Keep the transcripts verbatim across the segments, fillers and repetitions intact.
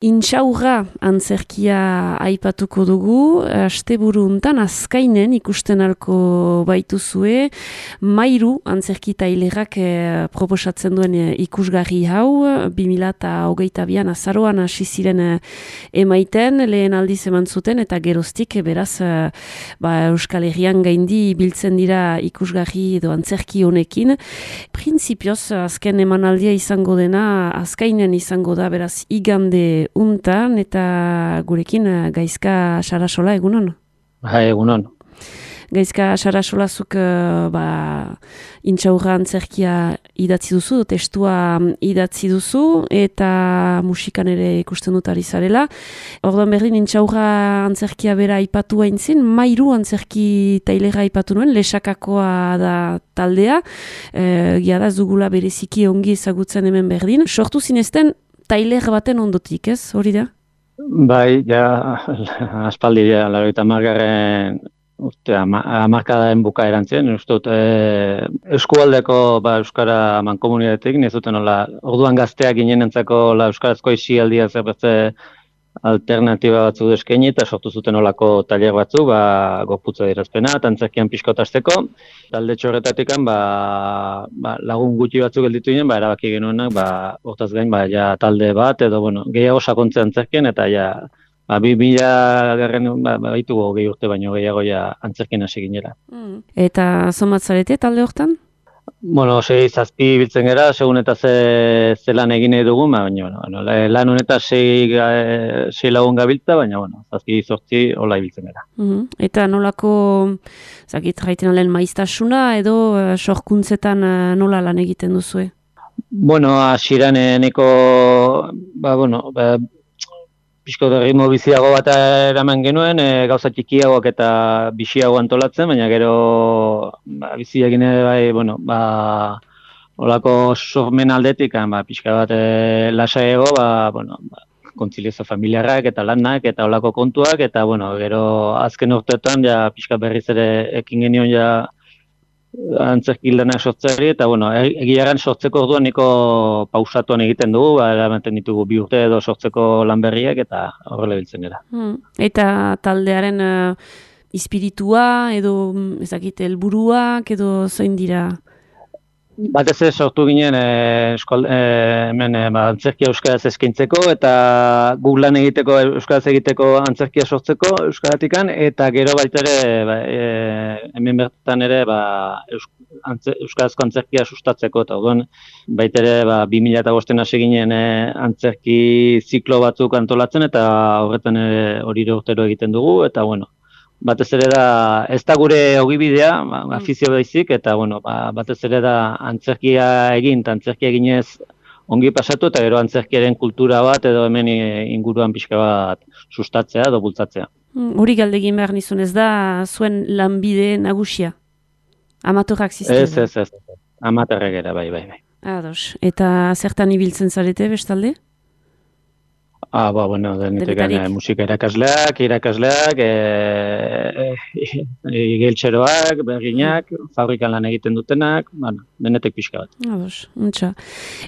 Intxaurra antzerkia aipatuko dugu, asteburu hontan azkainen ikusten alko baituzue, Mairu antzerki tailerrak eh, proposatzen duen eh, ikusgarri hau, bi mila hogeita bian azaroan hasi ziren eh, emaiten, lehen aldiz eman zuten, eta geroztik eh, beraz eh, ba, Euskal Herrian gaindi biltzen dira ikusgarri edo antzerki honekin. Printzipioz, azken emanaldia izango dena, azkainen izango da, beraz igande untan, eta gurekin Gaizka Sarasola, egunon? Ha, egunon. Gaizka Sarasolazuk ba, intxaurra antzerkia idatzi duzu, testua idatzi duzu, eta musikan ere ikusten dut ari zarela. Orduan berdin, intxaurra antzerkia bera aipatu haintzin, Mairu antzerki tailera aipatu nuen, Lesakakoa da taldea, e, gia da zugula bereziki ongi ezagutzen hemen berdin. Sortu zinezten, tailer baten ondotik, ez? Hori da? Bai, ja, aspaldi, ja, laurogeita hamargarren urte, hamarkadaen bukaeran zen, uste dut, e, eskualdeko ba, Euskara mankomunitatetik, ez duten hola, orduan gazteak ginenentzako la Euskarazko isialdia zerbetze alternatiba batzu eskaini eta sortu zuten olako tailer batzu, ba, gorputza dirazpena, eta antzerkian pixkotasteko. Talde txorretatik ba, ba, lagun gutxi batzuk gelditu ginen, ba, erabaki genuenak, ba, hortaz gain, ba, ja, talde bat, edo bueno, gehiago sakontze antzerkien, eta ja, ba, bi mila garren, ba, baitugu gehi urte baino gehiago ja antzerkien hasi ginela. Mm. Eta zomatzarete talde hortan? Bueno, sei zazpi biltzen gera, segun eta ze, ze lan egin nahi dugu, baina bueno, lan honetaz sei, sei lagun gabiltza, baina bueno, zazpi zortzi hola ibiltzen gera. Mm-hmm. Eta nolako, zakit jaiten alen maiztasuna edo uh, sorkuntzetan uh, nola lan egiten duzue? Bueno, hasieran eneko, ba, bueno, ba, pixko ritmo biziago bat eraman genuen, e, gauza txikiagoak eta biziago antolatzen, baina gero ba, bizi egin ere bai, bueno, ba, olako sormen aldetik, ba, pixka bat e, lasaiago, ba, bueno, ba, kontziliazio familiarrak eta lanak eta olako kontuak, eta bueno, gero azken urteetan ja pixka berriz ere ekin genion ja antzerki lanak sortzeari, eta bueno, egiaran sortzeko orduan niko pausatuan egiten dugu, ba, eramaten ditugu bi urte edo sortzeko lan berriak, eta horrela biltzen gara. Hmm. Eta taldearen uh, espiritua edo ezakit helburuak edo zein dira? Batez ez sortu ginen e, eskol, e, hemen e, ba, antzerkia euskaraz eskaintzeko eta guk lan egiteko euskaraz egiteko antzerkia sortzeko euskaratikan, eta gero baita ere ba, e, hemen bertan ere ba, eus, antze, euskarazko antzerkia sustatzeko, eta orduan baita ere ba, bi mila bostean hasi ginen e, antzerki ziklo batzuk antolatzen, eta horretan ere hori urtero egiten dugu, eta bueno, batez ere da, ez da gure ogibidea, ba, afizio baizik, eta bueno, ba, batez ere da antzerkia egin, eta antzerkia eginez ongi pasatu, eta gero antzerkiaren kultura bat, edo hemen inguruan pixka bat sustatzea edo bultzatzea. Hori galdegin behar nizun, ez da zuen lanbide nagusia? Amatorrak zizten? Ez, ez, ez, amatorrak era, bai, bai, bai. Ados, eta zertan ibiltzen zarete bestalde? Ah, ba, bueno, denetekan e, musika irakasleak, irakasleak, e, e, e, geltxeroak, berginak, fabrikan lan egiten dutenak, bueno, denetek pixka bat. Ados, untxa.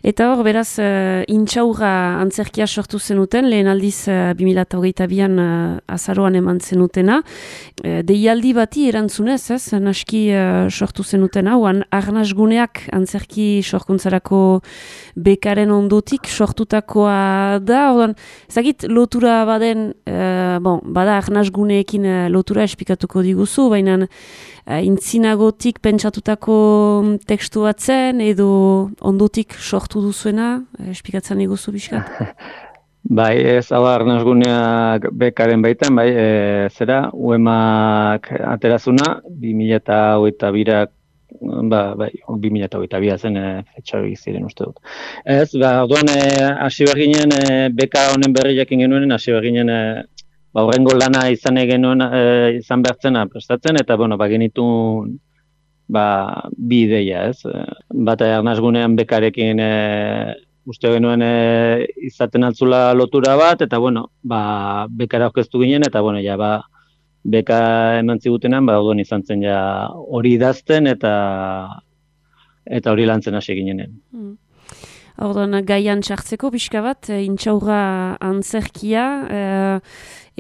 Eta hor, beraz, uh, intxaurra antzerkia sortu zenuten, lehen aldiz uh, bi mila hogeita bian uh, azaroan eman zenutena. Uh, deialdi bati erantzunez, ez, naski uh, sortu zenutena, oan arnasguneak antzerki sorkuntzarako bekaren ondotik sortutakoa da, oan, ezagit, lotura baden, uh, bon, bada arnasguneekin uh, lotura esplikatuko diguzu, baina uh, intzinagotik pentsatutako tekstu bat zen, edo ondotik sortu duzuena, uh, esplikatzen diguzu bizkat? Bai, ez hau arnasguneak bekaren baitan, bai, e, zera, uemak aterazuna, bi mila hogeita birak, ba, bai, bi mila hogeita bia zen e, etxarri ziren uste dut. Ez, ba, orduan hasi behar ginen, e, beka honen berri jakin genuen, hasi behar ginen, e, ba, horrengo lana izan genuen, e, izan behartzena prestatzen, eta, bueno, ba, genitun, ba, bi ideia, ez. Bata arnasgunean bekarekin, e, uste genuen e, izaten altzula lotura bat, eta, bueno, ba, bekara aurkeztu ginen, eta, bueno, ja, ba, beka eman zigutenan, ba, orduan izan zen ja hori idazten eta eta hori lantzen hasi ginenen. Hmm. Ordan gaian txartzeko pixka bat, e, intxaurra antzerkia, e,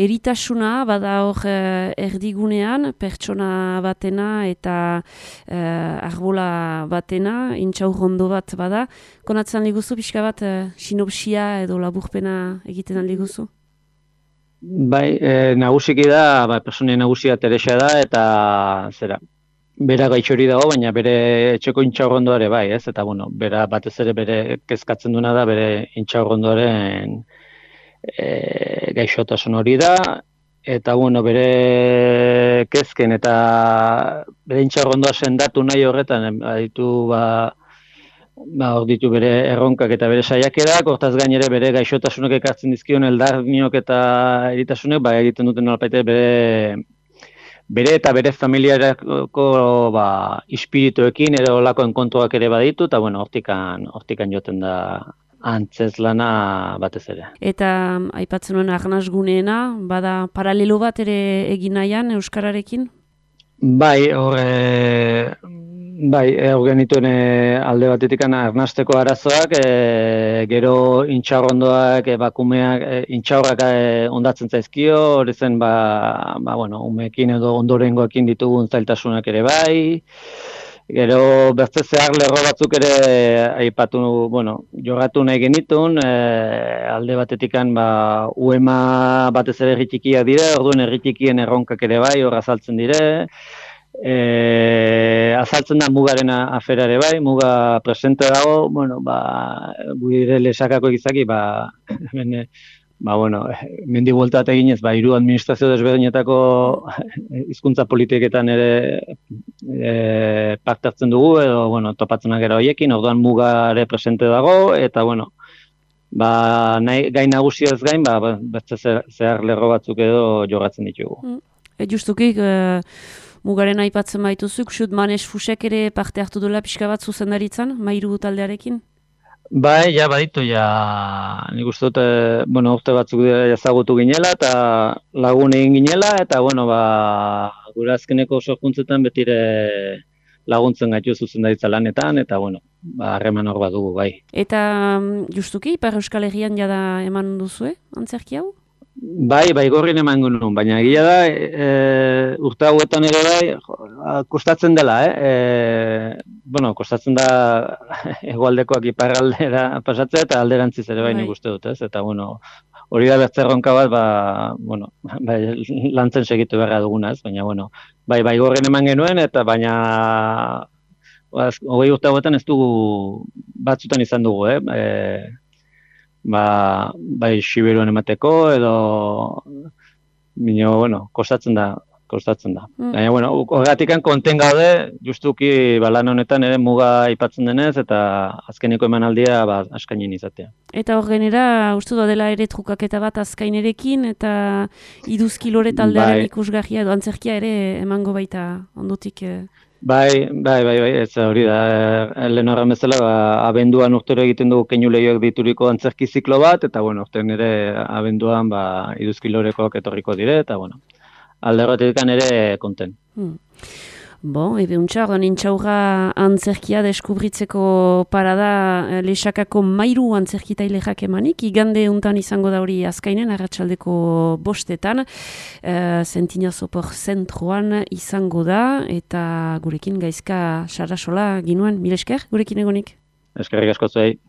eritasuna bada hor e, erdigunean, pertsona batena eta e, arbola batena, intxaurrondo bat bada. Konatzen liguzu pixka bat, e, sinopsia edo laburpena egiten aliguzu? Bai, e, nagusiki da, ba, personen nagusia Teresa da, eta zera, bera gaitxori dago, baina bere etxeko intxaurrondoare bai, ez? Eta, bueno, bera batez ere bere kezkatzen duena da, bere intxaurrondoaren e, gaixotasun hori da, eta, bueno, bere kezken eta bere intxaurrondoa sendatu nahi horretan, baditu, ba, ba, hor ditu bere erronkak eta bere saiakerak, hortaz gainere bere gaixotasunak ekartzen dizkion eldarniok eta eritasunek, ba, egiten duten nolapait bere bere eta bere familiarako ba, ispirituekin edo olako enkontroak ere baditu, eta bueno, hortikan, hortikan joten da antzeslana batez ere. Eta aipatzen nuen arnasguneena, bada paralelo bat ere egin nahian Euskararekin? Bai, hor, e, bai, hor genituen e, alde batetik arnasteko arazoak, e, gero intxaurrondoak, e, bakumeak, e, intxaurrak e, ondatzen zaizkio, hori zen, ba, ba, bueno, umeekin edo ondorengoekin ditugun zailtasunak ere bai, gero bertze zehar lerro batzuk ere aipatu, bueno, jogatu nahi genitun, e, alde batetikan ba, uema batez ere erritikiak dire, orduan erritikien erronkak ere bai, hor azaltzen dire, e, azaltzen da mugaren afera ere bai, muga presente dago, bueno, ba, gure lesakako egizaki, ba, bene, ba, bueno, mendi buelta bat eginez, ba, hiru administrazio desberdinetako hizkuntza politiketan ere e, paktartzen dugu, edo, bueno, topatzenak gero horiekin, orduan mugare presente dago, eta, bueno, ba, nahi, gain nagusiaz gain, ba, beste zehar lerro batzuk edo jogatzen ditugu. Mm. E, justukik, e, mugaren aipatzen baituzuk, xut Manes Fusek ere parte hartu duela pixka bat zuzendaritzan, Mairu taldearekin? Bai, ja, baditu, ja, nik uste dut, bueno, urte batzuk ezagutu ginela, eta lagun egin ginela, eta, bueno, ba, gure azkeneko sorkuntzetan betire laguntzen gaitu zuzendaritza lanetan, eta, bueno, ba, harreman hor bat dugu, bai. Eta justuki, Ipar Euskal Herrian jada eman duzue, antzerki hau? Bai, bai, gorrin eman genuen, baina egia da, e, urte hauetan ere bai, jo, kostatzen dela, eh? E, bueno, kostatzen da hegoaldekoak iparraldera pasatzea eta alderantziz ere bai nik uste dut, ez? Eta, bueno, hori da bertzerronka bat, ba, bueno, bai, lantzen segitu beharra duguna, ez? Baina, bueno, bai, bai, gorrin eman genuen, eta baina, hogei urte hauetan ez dugu batzutan izan dugu, eh? E, ba, bai Siberuan emateko, edo, bino, bueno, kostatzen da, kostatzen da. Mm. Baina, bueno, horretikan konten gaude, justuki ba, lan honetan ere muga aipatzen denez, eta azkeneko emanaldia ba, askainin izatea. Eta hor genera, uste da dela ere trukaketa bat azkainerekin, eta iduzki lore taldearen bai. Ikusgarria edo antzerkia ere emango baita ondotik... Eh... Bai, bai, bai, bai, ez hori da, lehen horren bezala, ba, abenduan urtero egiten dugu keinu lehioak dituriko antzerki ziklo bat, eta, bueno, urtean ere abenduan, ba, iduzki lorekoak etorriko dire, eta, bueno, alde horretik ere konten. Hmm. Bon, ebe untxa, ordan intxaurra antzerkia deskubritzeko parada lesakako Mairu antzerkitailejak emanik, igande untan izango da hori azkainen, arratsaldeko bostetan, uh, Sentina Sopor zentroan izango da, eta gurekin gaizka Sarasola ginuen, mil esker, gurekin egonik? Eskerrik asko zuei.